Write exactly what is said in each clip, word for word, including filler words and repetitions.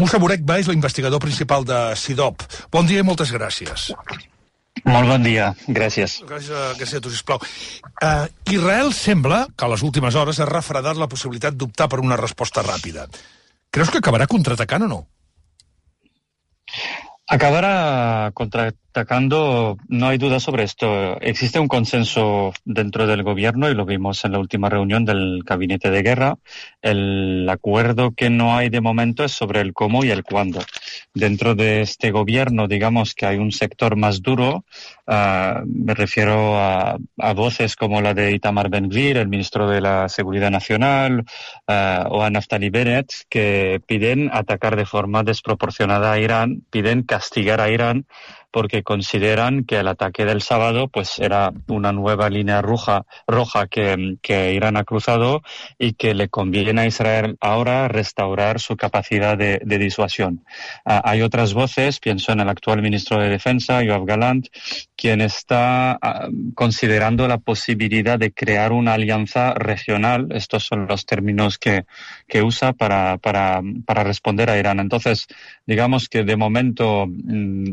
Musa Burekba és l'investigador principal de CIDOB. Bon dia i moltes gràcies. Molt bon dia, gràcies. Gràcies, gràcies a tu, sisplau. Uh, Israel sembla que a les últimes hores ha refredat la possibilitat d'optar per una resposta ràpida. Creus que acabarà contraatacant o no? Acabará contraatacando, no hay duda sobre esto. Existe un consenso dentro del gobierno y lo vimos en la última reunión del gabinete de guerra. El acuerdo que no hay de momento es sobre el cómo y el cuándo. Dentro de este gobierno, digamos que hay un sector más duro. Uh, me refiero a, a voces como la de Itamar Ben-Gvir, el ministro de la Seguridad Nacional, uh, o a Naftali Bennett, que piden atacar de forma desproporcionada a Irán, piden castigar a Irán porque consideran que el ataque del sábado pues era una nueva línea roja, roja que, que Irán ha cruzado y que le conviene a Israel ahora restaurar su capacidad de, de disuasión. Uh, hay otras voces, pienso en el actual ministro de Defensa, Yoav Gallant, quien está uh, considerando la posibilidad de crear una alianza regional. Estos son los términos que, que usa para, para, para responder a Irán. Entonces, digamos que de momento mmm,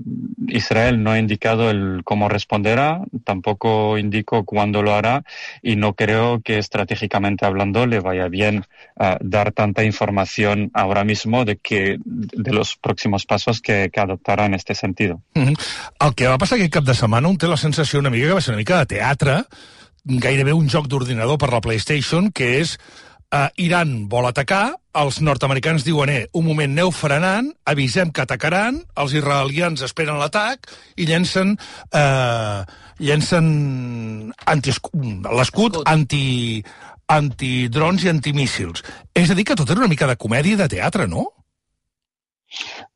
Israel no ha indicado el cómo responderá, tampoco indicó cuándo lo hará y no creo que estratégicamente hablando le vaya bien uh, dar tanta información ahora mismo de que de los próximos pasos que, que adoptarà en este sentido. Mm-hmm. El que va passar aquest cap de setmana un té la sensació una mica que va ser una mica de teatre, gairebé un joc d'ordinador per la PlayStation, que és Uh, Iran vol atacar, els nord-americans diuen, eh, un moment, aneu frenant, avisem que atacaran, els israelians esperen l'atac i llencen, uh, llencen anti l'escut anti, antidrons i antimíssils. És a dir, que tot era una mica de comèdia i de teatre, no?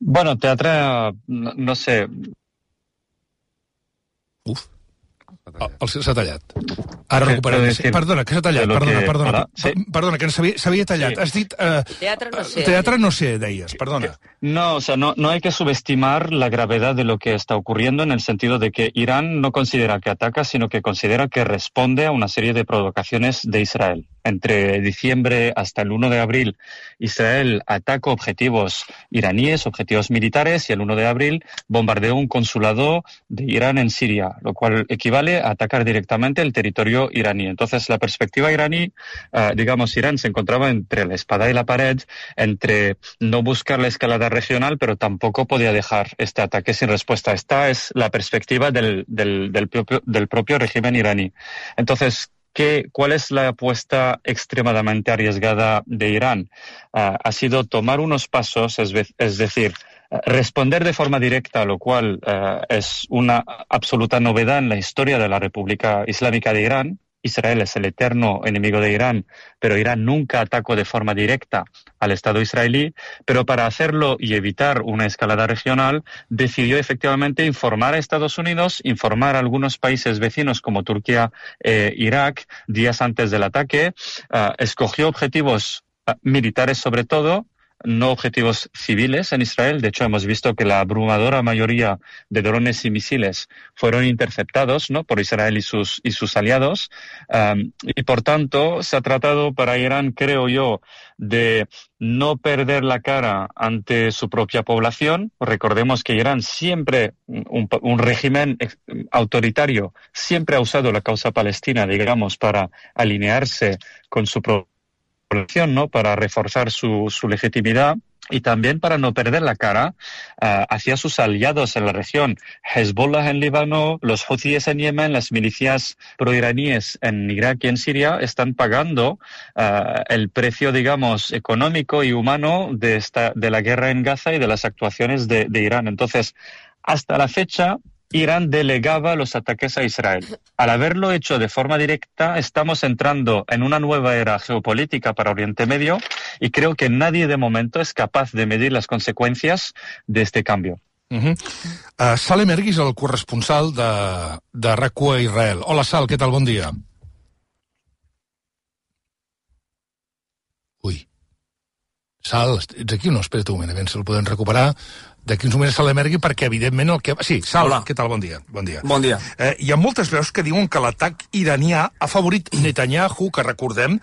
Bueno, teatre, no, no sé... Uf. El s'ha tallat. Ara recuperem. Perdona, que s'ha tallat. Perdona, perdona. Perdona, que s'havia tallat. Has dit... Teatre no sé. Teatre no sé, deies. Perdona. No, o sea, no, no hay que subestimar la gravedad de lo que está ocurriendo en el sentido de que Irán no considera que ataca, sino que considera que responde a una serie de provocaciones de Israel. Entre diciembre hasta el uno de abril, Israel atacó objetivos iraníes, objetivos militares, y el uno de abril bombardeó un consulado de Irán en Siria, lo cual equivale a atacar directamente el territorio iraní. Entonces, la perspectiva iraní, uh, digamos, Irán se encontraba entre la espada y la pared, entre no buscar la escalada regional, pero tampoco podía dejar este ataque sin respuesta. Esta es la perspectiva del, del, del, propio, del propio régimen iraní. Entonces, ¿Qué, ¿cuál es la apuesta extremadamente arriesgada de Irán? Uh, ha sido tomar unos pasos, es, es decir, uh, responder de forma directa, lo cual uh, es una absoluta novedad en la historia de la República Islámica de Irán. Israel es el eterno enemigo de Irán, pero Irán nunca atacó de forma directa al Estado israelí, pero para hacerlo y evitar una escalada regional, decidió efectivamente informar a Estados Unidos, informar a algunos países vecinos como Turquía e Irak días antes del ataque, uh, escogió objetivos uh, militares sobre todo, no objetivos civiles en Israel. De hecho, hemos visto que la abrumadora mayoría de drones y misiles fueron interceptados, ¿no?, por Israel y sus, y sus aliados. Um, y, por tanto, se ha tratado para Irán, creo yo, de no perder la cara ante su propia población. Recordemos que Irán siempre, un, un régimen autoritario, siempre ha usado la causa palestina, digamos, para alinearse con su propia población, ¿no?, para reforzar su, su legitimidad y también para no perder la cara uh, hacia sus aliados en la región. Hezbollah en Líbano, los Houthis en Yemen, las milicias proiraníes en Irak y en Siria están pagando uh, el precio, digamos, económico y humano de, esta, de la guerra en Gaza y de las actuaciones de, de Irán. Entonces, hasta la fecha, Irán delegaba los ataques a Israel. Al haberlo hecho de forma directa, estamos entrando en una nueva era geopolítica para Oriente Medio y creo que nadie de momento es capaz de medir las consecuencias de este cambio. Uh-huh. uh, Salem Ergui és el corresponsal de, de R A C U a Israel. Hola, Sal, què tal? Bon dia. Ui. Sal, ets aquí o no? Espera't un moment, a veure si el podem recuperar. D'aquí uns moments Salem Ergui, perquè evidentment el que... Sí, Sal, hola. Què tal? Bon dia. Bon dia. Bon dia. Eh, hi ha moltes veus que diuen que l'atac iranià ha favorit Netanyahu, que recordem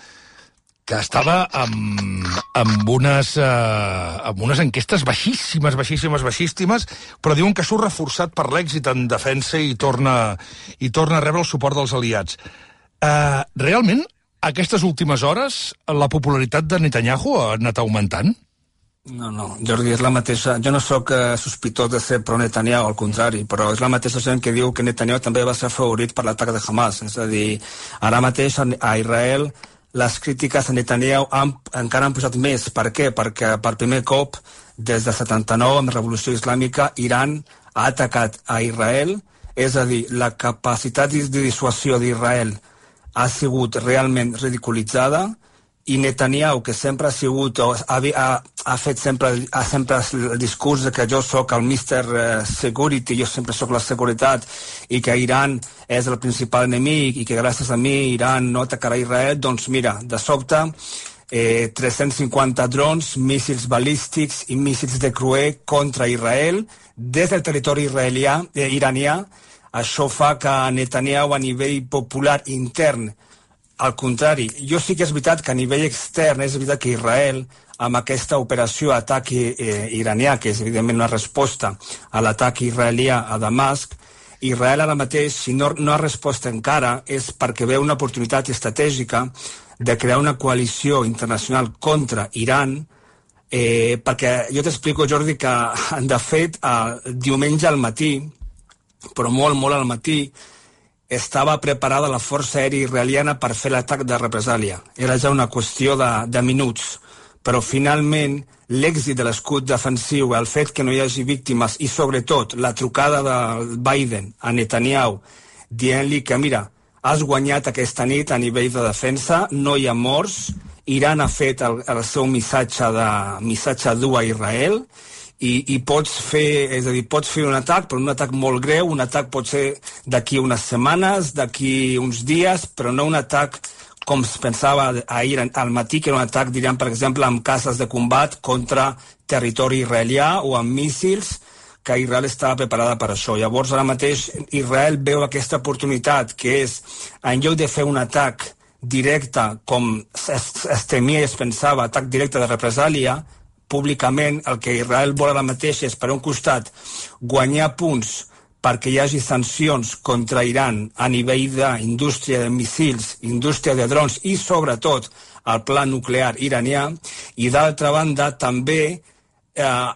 que estava amb, amb, unes, eh, amb unes enquestes baixíssimes, baixíssimes, baixíssimes, però diuen que surt reforçat per l'èxit en defensa i torna, i torna a rebre el suport dels aliats. Eh, realment, aquestes últimes hores, la popularitat de Netanyahu ha anat augmentant? No, no, Jordi, és la mateixa... Jo no sóc eh, sospitós de ser pro-Netanyahu, al contrari, però és la mateixa gent que diu que Netanyahu també va ser favorit per l'atac de Hamas. És a dir, ara mateix a Israel les crítiques a Netanyahu han, encara han posat més. Per què? Perquè per primer cop, des de setanta-nou, amb la Revolució Islàmica, Iran ha atacat a Israel. És a dir, la capacitat de dissuasió d'Israel ha sigut realment ridiculitzada, i Netanyahu, que sempre ha sigut, ha, ha, ha fet sempre, ha sempre el discurs de que jo sóc el mister Security, jo sempre sóc la seguretat, i que Iran és el principal enemic, i que gràcies a mi Iran no atacarà Israel, doncs mira, de sobte, eh, tres-cents cinquanta drons, míssils balístics i míssils de Cruer contra Israel, des del territori israelià, eh, iranià. Això fa que Netanyahu, a nivell popular intern, al contrari, jo sí que és veritat que a nivell extern és veritat que Israel, amb aquesta operació atac eh, iranià, que és evidentment una resposta a l'atac israelià a Damasc, Israel ara mateix, si no, no ha respost encara, és perquè veu una oportunitat estratègica de crear una coalició internacional contra Iran, eh, perquè jo t'explico, Jordi, que de fet, eh, diumenge al matí, però molt, molt al matí, estava preparada la força aèria israeliana per fer l'atac de represàlia. Era ja una qüestió de, de minuts. Però finalment l'èxit de l'escut defensiu, el fet que no hi hagi víctimes i sobretot la trucada de Biden a Netanyahu dient-li que mira, has guanyat aquesta nit a nivell de defensa, no hi ha morts, Iran ha fet el, el seu missatge, de, missatge dur a Israel, I, i pots fer, és a dir, pots fer un atac, però un atac molt greu, un atac pot ser d'aquí unes setmanes, d'aquí uns dies, però no un atac com es pensava ahir al matí, que era un atac, diríem, per exemple, amb cases de combat contra territori israelià o amb míssils, que Israel estava preparada per això. Llavors, ara mateix, Israel veu aquesta oportunitat, que és, en lloc de fer un atac directe, com es, es temia i es pensava, atac directe de represàlia, públicament el que Israel vol ara mateix és, per un costat, guanyar punts perquè hi hagi sancions contra Iran a nivell d'indústria de missils, indústria de drons i, sobretot, el pla nuclear iranià, i, d'altra banda, també eh,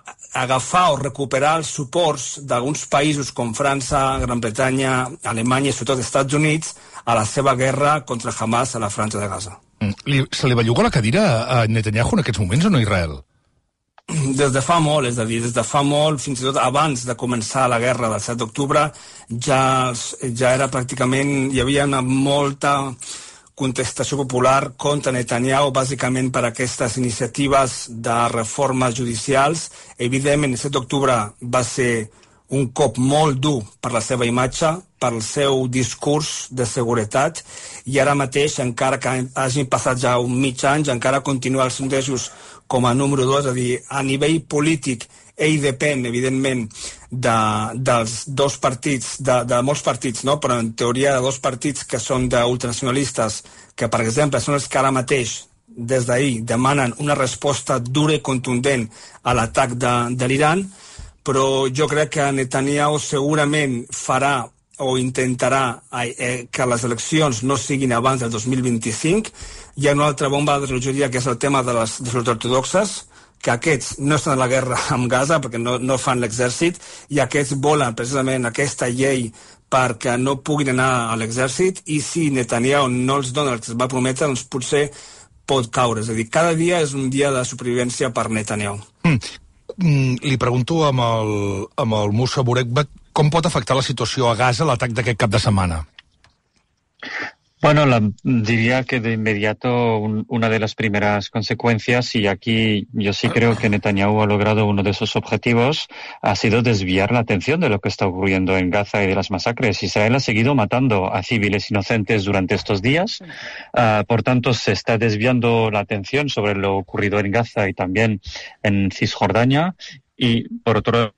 agafar o recuperar els suports d'alguns països com França, Gran Bretanya, Alemanya i, sobretot, Estats Units a la seva guerra contra Hamas a la Franja de Gaza. Li, se li belluga la cadira a Netanyahu en aquests moments o no, Israel? Des de fa molt, és a dir, des de fa molt, fins i tot abans de començar la guerra del set d'octubre, ja, ja era pràcticament, hi havia una molta contestació popular contra Netanyahu, bàsicament per aquestes iniciatives de reformes judicials. Evidentment, el set d'octubre va ser un cop molt dur per la seva imatge, pel seu discurs de seguretat, i ara mateix, encara que hagin passat ja un mig any, encara continua els sondejos com a número dos, és a dir, a nivell polític, ell depèn, evidentment, de, dels dos partits, de, de molts partits, no? Però en teoria de dos partits que són d'ultranacionalistes, que, per exemple, són els que ara mateix, des d'ahir, demanen una resposta dura i contundent a l'atac de, de l'Iran, però jo crec que Netanyahu segurament farà o intentarà eh, que les eleccions no siguin abans del dos mil vint-i-cinc. Hi ha una altra bomba de relojeria, que és el tema de les, de les ortodoxes, que aquests no estan a la guerra amb Gaza perquè no, no fan l'exèrcit, i aquests volen precisament aquesta llei perquè no puguin anar a l'exèrcit, i si Netanyahu no els dona el que es va prometre, doncs potser pot caure. És a dir, cada dia és un dia de supervivència per Netanyahu. Mm. Mm, li pregunto amb el, amb el Musa Burekbek, com pot afectar la situació a Gaza l'atac d'aquest cap de setmana? Bueno, la, diría que de inmediato un, una de las primeras consecuencias, y aquí yo sí creo que Netanyahu ha logrado uno de sus objetivos, ha sido desviar la atención de lo que está ocurriendo en Gaza y de las masacres. Israel ha seguido matando a civiles inocentes durante estos días, uh, por tanto se está desviando la atención sobre lo ocurrido en Gaza y también en Cisjordania, y por otro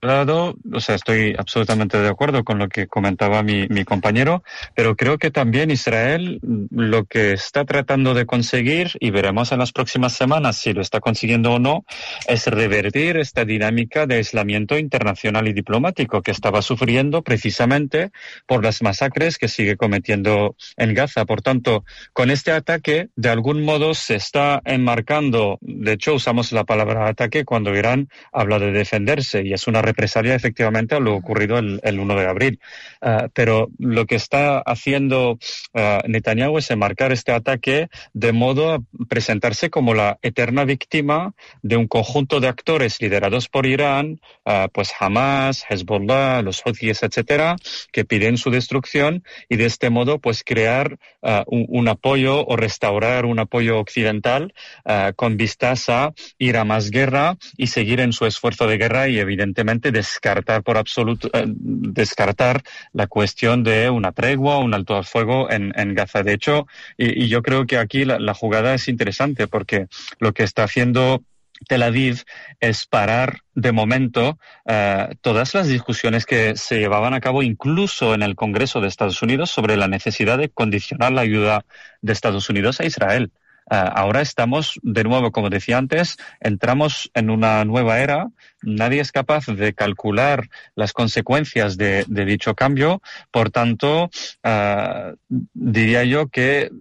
lado, o sea, estoy absolutamente de acuerdo con lo que comentaba mi, mi compañero, pero creo que también Israel lo que está tratando de conseguir, y veremos en las próximas semanas si lo está consiguiendo o no, es revertir esta dinámica de aislamiento internacional y diplomático que estaba sufriendo precisamente por las masacres que sigue cometiendo en Gaza. Por tanto, con este ataque, de algún modo se está enmarcando, de hecho usamos la palabra ataque cuando Irán habla de defenderse, y es una represalia efectivamente a lo ocurrido el, el uno de abril. Uh, pero lo que está haciendo uh, Netanyahu es enmarcar este ataque de modo a presentarse como la eterna víctima de un conjunto de actores liderados por Irán, uh, pues Hamas, Hezbollah, los Houthis, etcétera, que piden su destrucción, y de este modo pues crear uh, un, un apoyo o restaurar un apoyo occidental uh, con vistas a ir a más guerra y seguir en su esfuerzo de guerra, y evidentemente descartar por absoluto, eh, descartar la cuestión de una tregua o un alto al fuego en, en Gaza. De hecho, y, y yo creo que aquí la, la jugada es interesante, porque lo que está haciendo Tel Aviv es parar de momento eh, todas las discusiones que se llevaban a cabo incluso en el Congreso de Estados Unidos sobre la necesidad de condicionar la ayuda de Estados Unidos a Israel. Uh, ahora estamos, de nuevo, como decía antes, entramos en una nueva era. Nadie es capaz de calcular las consecuencias de, de dicho cambio. Por tanto, uh, diría yo que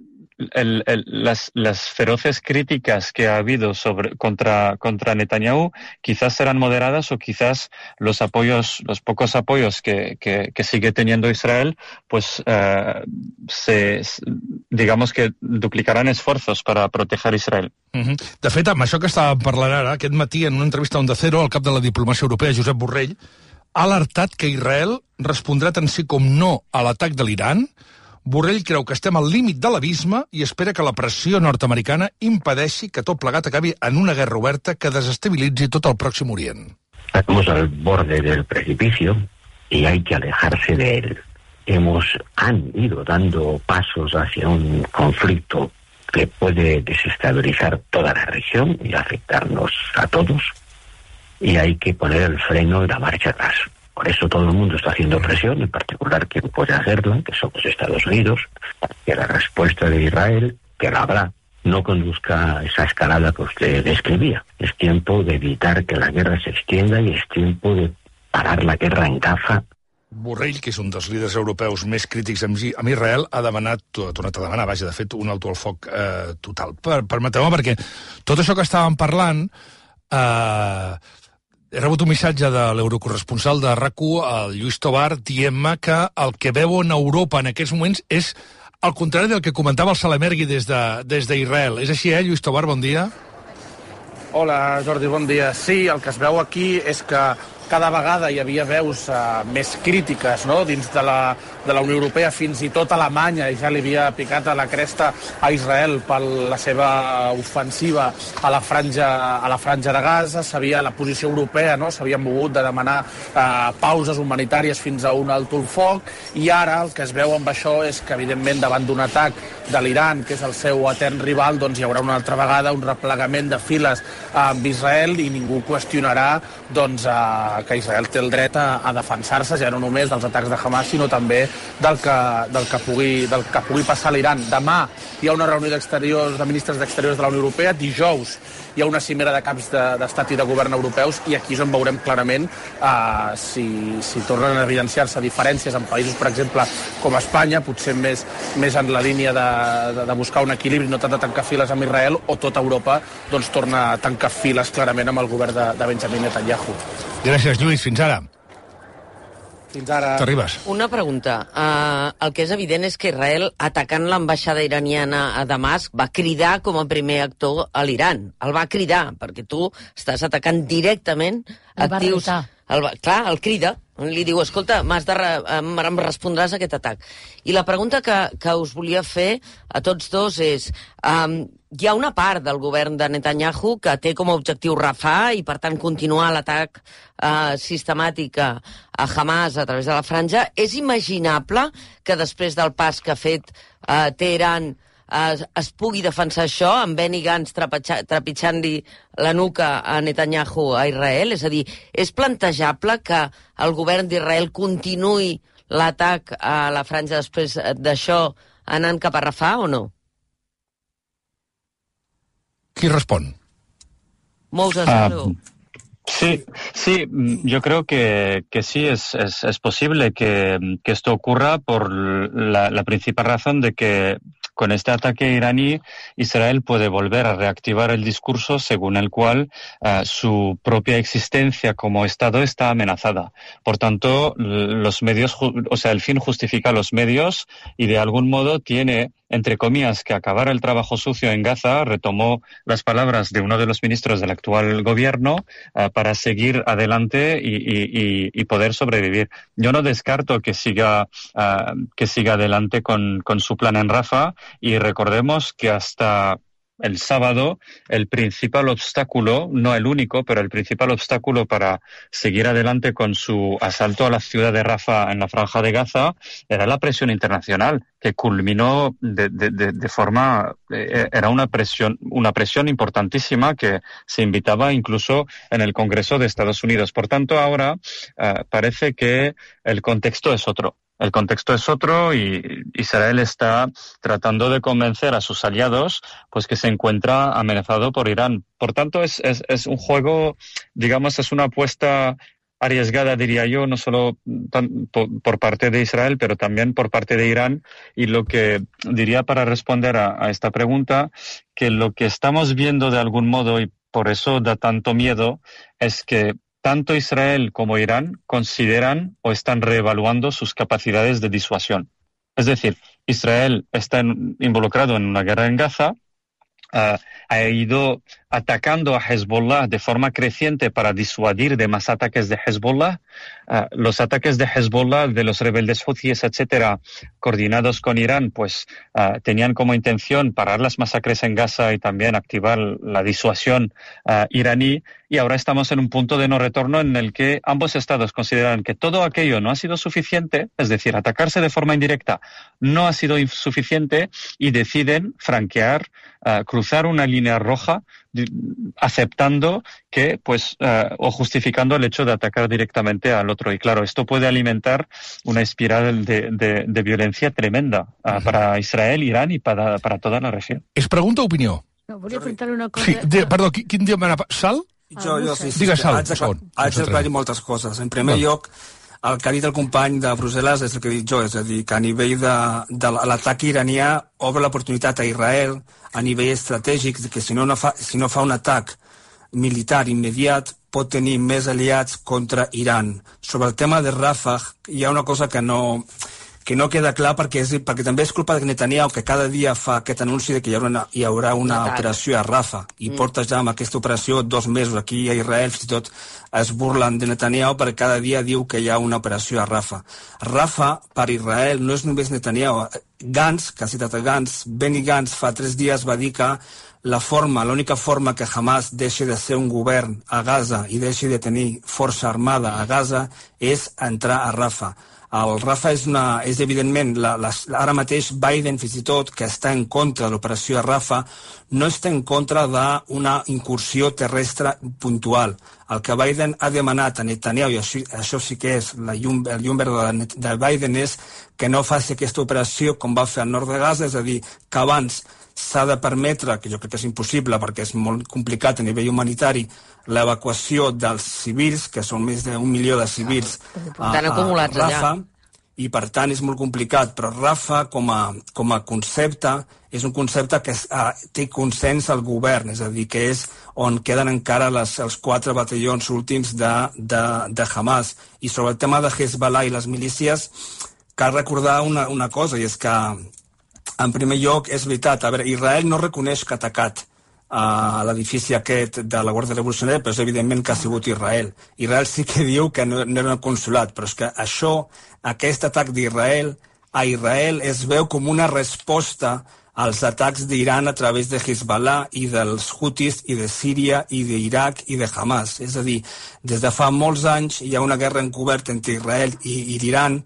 El, el, las, las feroces críticas que ha habido sobre, contra, contra Netanyahu quizás serán moderadas, o quizás los apoyos, los pocos apoyos que, que, que sigue teniendo Israel, pues uh, se, digamos que duplicaran esfuerzos para proteger Israel. Uh-huh. De fet, amb això que estàvem parlant ara, aquest matí en una entrevista a Onda Cero, el cap de la diplomàcia europea, Josep Borrell, ha alertat que Israel respondrà tant sí com no a l'atac de l'Iran. Borrell creu que estem al límit de l'abisme i espera que la pressió nord-americana impedeixi que tot plegat acabi en una guerra oberta que desestabilitzi tot el Pròxim Orient. Estamos al borde del precipicio y hay que alejarse de él. Hemos, han ido dando pasos hacia un conflicto que puede desestabilizar toda la región y afectarnos a todos, y hay que poner el freno y la marcha atrás. Por eso todo el mundo está haciendo presión, en particular quien puede hacerla, que somos Estados Unidos, que la respuesta de Israel, que la habrá, no conduzca a esa escalada que usted describía. Es tiempo de evitar que la guerra se extienda y es tiempo de parar la guerra en Gaza. Borrell, que és un dels líders europeus més crítics amb Israel, ha demanat, ha tornat a demanar, vaja, de fet, un alto al foc eh, total. Per, permeteu-me, perquè tot això que estàvem parlant... Eh, He rebut un missatge de l'eurocorresponsal de RAC u, el Lluís Tobar, dient-me que el que veuen a Europa en aquests moments és al contrari del que comentava el Salamergui des d'Israel. És així, eh, Lluís Tobar? Bon dia. Hola, Jordi, bon dia. Sí, el que es veu aquí és que cada vegada hi havia veus uh, més crítiques, no?, dins de la, de la Unió Europea, fins i tot Alemanya, i ja li havia picat a la cresta a Israel per la seva ofensiva a la franja, a la franja de Gaza. Sabia la posició europea, no?, s'havien mogut de demanar uh, pauses humanitàries fins a un alto al foc, i ara el que es veu amb això és que, evidentment, davant d'un atac de l'Iran, que és el seu etern rival, doncs hi haurà una altra vegada un replegament de files uh, amb Israel, i ningú qüestionarà doncs, uh, que Israel té el dret a, a defensar-se, ja no només dels atacs de Hamas, sinó també del que, del que, pugui, del que pugui passar a l'Iran. Demà hi ha una reunió d'exteriors, de ministres d'exteriors de la Unió Europea, dijous hi ha una cimera de caps d'estat i de govern europeus, i aquí és on veurem clarament uh, si, si tornen a evidenciar-se diferències en països, per exemple, com Espanya, potser més, més en la línia de, de, de buscar un equilibri, no tant de tancar files amb Israel, o tota Europa doncs, torna a tancar files clarament amb el govern de, de Benjamin Netanyahu. Gràcies, Lluís. Fins ara. Fins ara. T'arribes. Una pregunta. Uh, el que és evident és que Israel, atacant l'ambaixada iraniana a Damasc, va cridar com a primer actor a l'Iran. El va cridar, perquè tu estàs atacant directament actius... El va, clar, el crida, li diu, escolta, m'has de re, em, em respondràs a aquest atac. I la pregunta que, que us volia fer a tots dos és, um, hi ha una part del govern de Netanyahu que té com a objectiu Rafah i, per tant, continuar l'atac uh, sistemàtic a, a Hamas a través de la franja. És imaginable que després del pas que ha fet uh, Teheran es, es pugui defensar això, amb Benny Gantz trepitjant-li la nuca a Netanyahu a Israel? És a dir, és plantejable que el govern d'Israel continuï l'atac a la franja després d'això anant cap a Rafah o no? Qui respon? Moses, uh, sí, sí, yo creo que, que sí, es, es, es posible que, que esto ocurra por la, la principal razón de que con este ataque iraní, Israel puede volver a reactivar el discurso según el cual uh, su propia existencia como Estado está amenazada. Por tanto, los medios, o sea, el fin justifica los medios y de algún modo tiene, entre comillas, que acabar el trabajo sucio en Gaza. Retomó las palabras de uno de los ministros del actual gobierno uh, para seguir adelante y, y, y poder sobrevivir. Yo no descarto que siga, uh, que siga adelante con, con su plan en Rafah. Y recordemos que hasta el sábado el principal obstáculo, no el único, pero el principal obstáculo para seguir adelante con su asalto a la ciudad de Rafah en la Franja de Gaza era la presión internacional, que culminó de, de, de, de forma... Eh, era una presión, una presión importantísima que se invitaba incluso en el Congreso de Estados Unidos. Por tanto, ahora eh, parece que el contexto es otro. El contexto es otro y Israel está tratando de convencer a sus aliados pues que se encuentra amenazado por Irán. Por tanto, es, es, es un juego, digamos, es una apuesta arriesgada, diría yo, no solo tan, por, por parte de Israel, pero también por parte de Irán. Y lo que diría para responder a, a esta pregunta, que lo que estamos viendo de algún modo, y por eso da tanto miedo, es que tanto Israel como Irán consideran o están reevaluando sus capacidades de disuasión. Es decir, Israel está en, involucrado en una guerra en Gaza, uh, ha ido atacando a Hezbollah de forma creciente para disuadir de más ataques de Hezbollah. Uh, los ataques de Hezbollah, de los rebeldes huthíes, etcétera, coordinados con Irán, pues uh, tenían como intención parar las masacres en Gaza y también activar la disuasión uh, iraní. Y ahora estamos en un punto de no retorno en el que ambos estados consideran que todo aquello no ha sido suficiente, es decir, atacarse de forma indirecta no ha sido suficiente y deciden franquear, uh, cruzar una línea roja, aceptando que, pues, uh, o justificando el hecho de atacar directamente al otro. Y claro, esto puede alimentar una espiral de, de, de violencia tremenda uh, uh-huh. para Israel, Irán y para, para toda la región. Es pregunta o opinió? No, volia preguntar una cosa... Sí, de, perdó, quin dia m'anava? Sal? Jo, jo, sí, sí. Digues, Sal, haig d'aclarir moltes coses. En primer bueno. lloc, el que ha dit el company de Brussel·les és el que he dit jo, és a dir, que a nivell de, de l'atac iranià obre l'oportunitat a Israel a nivell estratègic, que si no, no fa, si no fa un atac militar immediat pot tenir més aliats contra Iran. Sobre el tema de Rafah hi ha una cosa que no, que no queda clar perquè, és, perquè també és culpa de Netanyahu, que cada dia fa aquest anunci de que hi haurà una, hi haurà una operació a Rafah i mm. porta ja amb aquesta operació dos mesos aquí a Israel, fins i tot es burlen de Netanyahu perquè cada dia diu que hi ha una operació a Rafah. Rafah per Israel no és només Netanyahu. Gantz, que ha citat a Gantz, Benny Gantz fa tres dies va dir que la forma, l'única forma que Hamas deixi de ser un govern a Gaza i deixi de tenir força armada a Gaza és entrar a Rafah. El Rafah és, una, és evidentment, la, la, ara mateix Biden, fins i tot, que està en contra de l'operació a Rafah, no està en contra d'una incursió terrestre puntual. El que Biden ha demanat a Netanyahu, i això, això sí que és la llum, el llum verd de, de Biden, és que no faci aquesta operació com va fer al nord de Gaza, és a dir, que abans s'ha de permetre, que jo crec que és impossible perquè és molt complicat a nivell humanitari, l'evacuació dels civils, que són més d'un milió de civils a, a, a Rafah, i per tant és molt complicat, però Rafah com a, com a concepte és un concepte que uh, té consens al govern, és a dir, que és on queden encara les, els quatre batallons últims de, de, de Hamas. I sobre el tema de Hezbollah i les milícies, cal recordar una, una cosa, i és que en primer lloc, és veritat, a veure, Israel no reconeix que ha atacat a l'edifici aquest de la Guàrdia Revolucionària, però és evidentment que ha sigut Israel. Israel sí que diu que no, no era un consulat, però és que això, aquest atac d'Israel, a Israel es veu com una resposta als atacs d'Iran a través de Hezbollah i dels Houthis i de Síria i d'Iraq i de Hamas. És a dir, des de fa molts anys hi ha una guerra encoberta entre Israel i, i l'Iran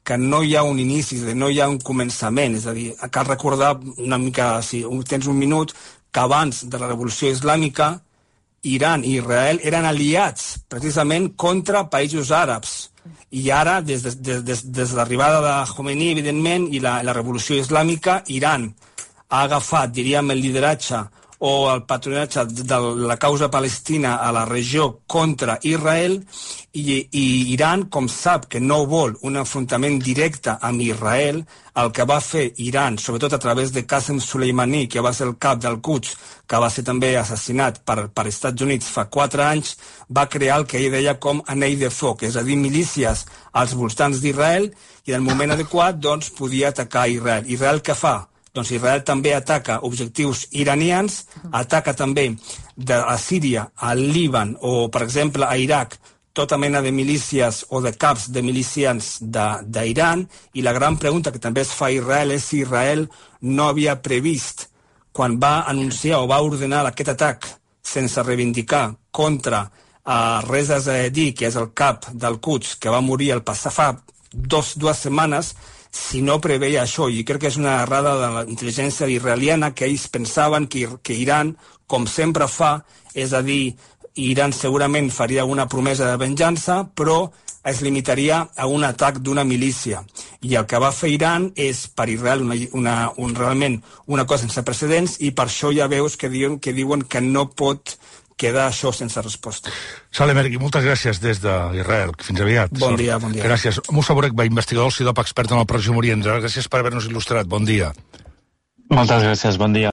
que no hi ha un inici, no hi ha un començament, és a dir, cal recordar una mica, si tens un minut, que abans de la Revolució Islàmica, Iran i Israel eren aliats precisament contra països àrabs. I ara, des de, des, des, des de l'arribada de Khomeini, evidentment, i la, la Revolució Islàmica, Iran ha agafat, diríem, el lideratge o el patronatge de la causa palestina a la regió contra Israel, i, i Iran, com sap que no vol un enfrontament directe amb Israel, el que va fer Iran, sobretot a través de Qasem Soleimani, que va ser el cap del Quds, que va ser també assassinat per, per Estats Units fa quatre anys, va crear el que ell deia com anell de foc, és a dir, milícies als voltants d'Israel, i en el moment adequat doncs, podia atacar Israel. Israel què fa? Doncs Israel també ataca objectius iranians, ataca també de a Síria, al Líban o, per exemple, a Iraq, tota mena de milícies o de caps de milicians d'Iran, i la gran pregunta que també es fa a Israel és si Israel no havia previst, quan va anunciar o va ordenar aquest atac sense reivindicar contra uh, Reza Zahedi, que és el cap del Quds, que va morir el passat fa dos, dues setmanes, si no preveia això, i crec que és una errada de la intel·ligència israeliana, que ells pensaven que, que Iran, com sempre fa, és a dir, Iran segurament faria una promesa de venjança, però es limitaria a un atac d'una milícia. I el que va fer Iran és, per Israel, una, una, un, realment una cosa sense precedents, i per això ja veus que diuen que, diuen que no pot queda això sense resposta. Saleh Mergui, moltes gràcies des d'Israel. Fins aviat. Bon dia, bon dia. Gràcies. Moussa Bourek, investigador del CIDOP, expert en el Pròxim Orient. Gràcies per haver-nos il·lustrat. Bon dia. Moltes gràcies, bon dia.